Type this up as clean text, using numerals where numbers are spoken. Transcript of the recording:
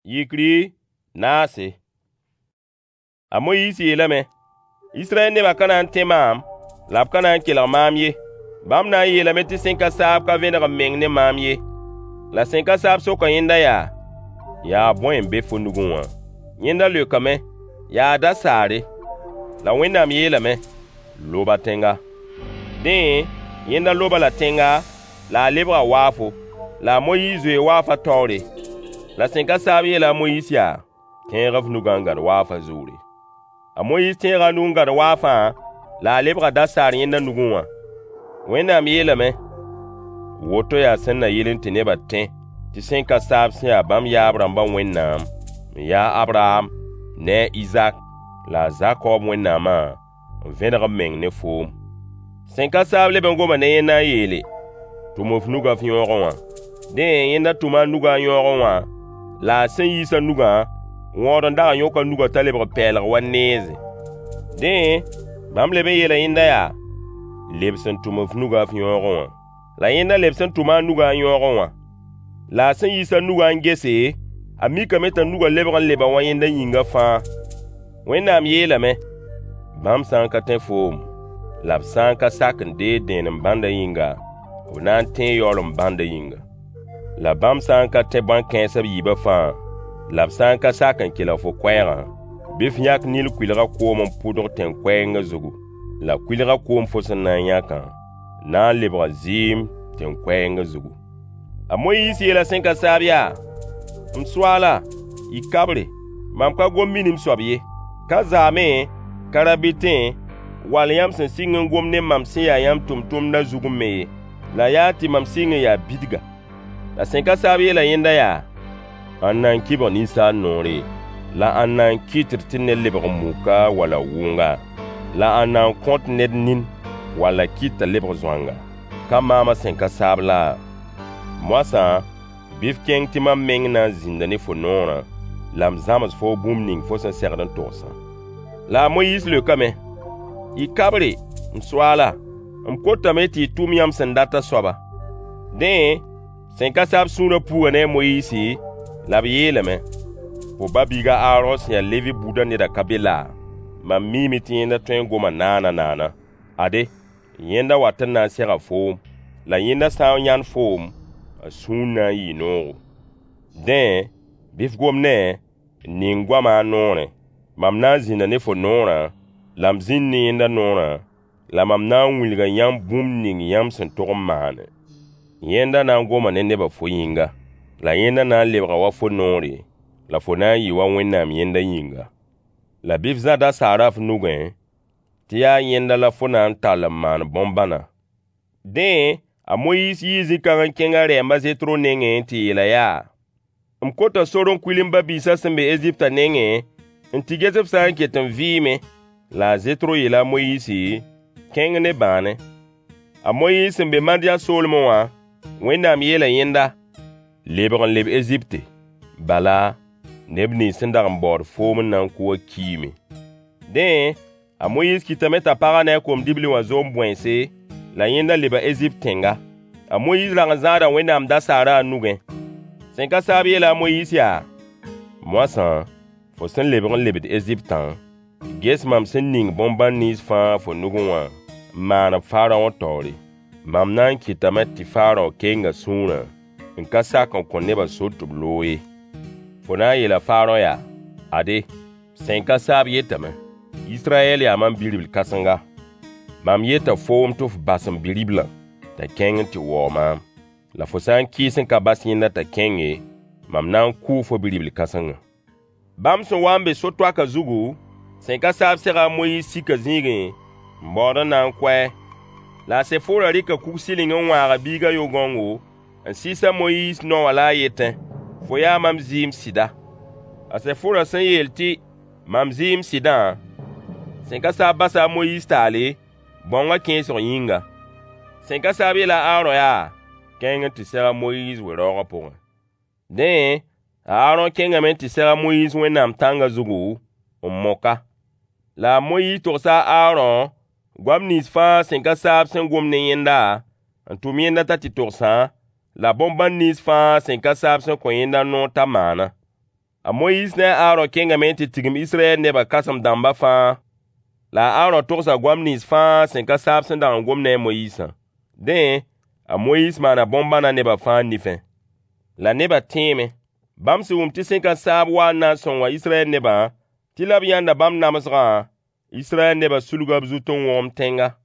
Yikri naase. A Moyiis yeelame: Israyɛl nebã ka na n tẽ maam, la b ka na n kelg maam ye. Bãmb na n yeelame tɩ sẽn-ka-saab ka vẽneg b meng ne maam ye. La sẽn-ka-saab soka yẽnda yaa: Yaa bõe n be fo nugẽ wã? Yẽnda leokame: Yaa dasaare. La Wẽnnaam yeelame: Lob-a tẽnga. Dẽ, yẽnda lob-a-la tẽnga, la a lebga waafo. La a Moyiis zoee waafã taoore. La sẽn-ka-saab yeela a Moyiis yaa: Tẽeg f nugã n gãd waafã zʋʋre. A Moyiis tẽega a nug n gãd waafã, la a lebga dasaar yẽnda nugẽ wã. Wẽnnaam yeelame: Woto yaa sẽn na yɩl tɩ nebã tẽ tɩ sẽn-ka-saab sẽn ya bãmb yaab-rãmbã Wẽnnaam, n ya a Abraham ne a Izak la a Zakob Wẽnnaamã n vẽneg b meng ne foom. Sẽn-ka-saab leb n goma ne yẽnda n yeele: Tʋm f nugã f yõogẽ wã. Dẽ, yẽnda tʋma a nugã a yõogẽ wã, la a sẽn yiis a nugã, wõod n dag n yõk a nugã t'a lebg pɛɛlg wa neeze. Dẽ, bãmb leb n yeela yẽnda yaa: Lebs n tʋm f nugã f yõogẽ wã. La yẽnda lebs n tʋma a nugã a yõogẽ wã. La a sẽn yiis a nugã n gese, a mikame t'a nugã lebg n leba wa yẽnda yĩngã fãa. Wẽnnaam yeelame: Bãmb sã n ka tẽ foom, la b sã n ka sak n deeg dẽenem bãndã yĩnga, b na n tẽe yaoolem bãndã yĩnga. La bãmb sã n ka tẽ bãn-kãens b yiibã fãa, la b sã n ka sak n kelg fo koɛɛgã, bɩ f yãk Nil kʋɩlgã koom n pʋdg tẽn-koɛɛngã zugu. La kʋɩlgã koom fo sẽn na n yãkã na n lebga zɩɩm tẽn-koɛɛngã zugu. A Moyiis yeela sẽn-ka-saab yaa: M Soaala, yik kabre, mam ka gom minim soab ye. Ka zaamẽ, ka rabɩtẽ, wall yãmb sẽn sɩng n gom ne mam sẽn ya yãmb tʋmtʋmdã zugẽ me ye. La yaa tɩ mam sɩng n yaa bidga. La sẽn-ka-saab yeela yẽnda yaa: Ãnna n kɩbg ninsaal noore? La ãnna n kɩtd tɩ ned lebg muka walla wʋnga? La ãnna n kõt ned nin walla kɩt t'a lebg zoanga? Ka maamã sẽn-ka-saab laa? Moasã, bɩ f kẽng tɩ mam meng na n zĩnda ne fo noorã, la m zãms foo bũmb ning fo sẽn segd n togsã. La a Moyiis leokame: Yik kabre, m Soaala, m kotame tɩ y tʋm yãmb sẽn datã soaba. Dẽ, sẽn-ka-saab sũurã puuga ne a Moyiisi, la b yeelame: Fo ba-biig a Aarõ sẽn ya Levi buudã nedã ka be laa? Mam miime tɩ yẽnda tõe n goma naana-naana. Ade, yẽnda wat n na n sega foom. La yẽnda sã n yãnd foom, a sũur na n yɩɩ noogo. Dẽ, bɩ f gom ne-a, n ning goamã a noorẽ. Mam na n zĩnda ne fo noorã, la m zĩnd ne yẽnda noorã, la mam na n wilga yãmb bũmb ning yãmb sẽn tog n maane. Yẽnda na n goma ne nebã fo yĩnga. La yẽnda na n lebga wa fo noore, la fo na n yɩ wa Wẽnnaam yẽnda yĩnga. La bɩ f zã dasaarã f nugẽ, tɩ yaa yẽnda la fo na n tall n maan bõn-bãna. Dẽ, a Moyiis yii zĩ-kãng n kẽng a rɛɛm a Zetro nengẽ n tɩ yeel-a yaa: M kota sor n kuil m ba-biisã sẽn be Eziptã nengẽ n tɩ ges b sã n ket n vɩɩme. La a Zetro yeela a Moyiisi: Kẽng ne bãane. A Moyiis sẽn be Madiyã soolmẽ wã, Wẽnnaam yeela yẽnda: Lebg n leb Ezipte. Bala, neb nins sẽn dag n baood foom n na n kʋ wã kiime. Dẽ, a Moyiis kɩtame t'a pagã ne a kom-dibli wã zom bõense, la yẽnda leba Ezipt tẽnga. A Moyiis rag n zãada Wẽnnaam dasaarã a nugẽ. Sẽn-ka-saab yeela a Moyiis yaa: Moasã, fo sẽn lebg n lebd Eziptã, ges mam sẽn ning bõn-bãn nins fãa fo nugẽ wã n maan-b Faraõ taoore. Mam na n kɩtame tɩ Faraõ keng a sũurã n ka sak n kõ nebã sor tɩ b loog ye. Fo na n yeela Faraõ yaa: Ade, sẽn-ka-saab yetame: Israyɛl yaa mam bi-ribl kãsenga. Mam yeta foom tɩ f bas m bi-riblã t'a kẽng n tɩ waoog maam. La fo sã n kɩɩs n ka bas yẽnda t'a kẽng ye, mam na n kʋʋ fo bi-ribl kãsengã. Bãmb sẽn wa n be so-toakã zugu, sẽn-ka-saab sega a Moyiis sika zĩigẽ n baood n na n kʋ-a. La a Sefora rɩka kug-sɩling n wãag a biigã yʋ-gãongo, n sɩɩs a Moyiis nao wã la a yetẽ: Fo yaa mam zɩɩm sɩda. A Sefora sẽn yeel tɩ: Mam zɩɩm sɩdã, sẽn-ka-saab basa a Moyiis taale, bãongã kẽesg yĩnga. Sẽn-ka-saab yeela a Aarõ yaa: Kẽng n tɩ seg a Moyiis we-raoogã pʋgẽ. Dẽ, a Aarõ kẽngame n tɩ seg a Moyiis Wẽnnaam tãngã zugu, n mok-a. La a Moyiis togsa a Aarõ goam nins fãa sẽn-ka-saab sẽn gom ne yẽnda, n tʋm yẽnda t'a tɩ togsã, la bõn-bãn nins fãa sẽn-ka-saab sẽn kõ yẽnda noor t'a maana. A Moyiis ne a Aarõ kẽngame n tɩ tigim Israyɛl nebã kãsem-dãmbã fãa. La a Aarõ togsa goam nins fãa sẽn ka saab sẽn dag n gom ne a Moyiisã. Dẽ, a Moyiis maana bõn-bãna nebã fãa nifẽ. La nebã tẽeme. Bãmb sẽn wʋm tɩ sẽn-ka-saab waa n na n sõnga Israyɛl nebã, tɩ la b yãnda bãmb namsgã, Israyɛl nebã sulga b zut n wõgemd tẽnga.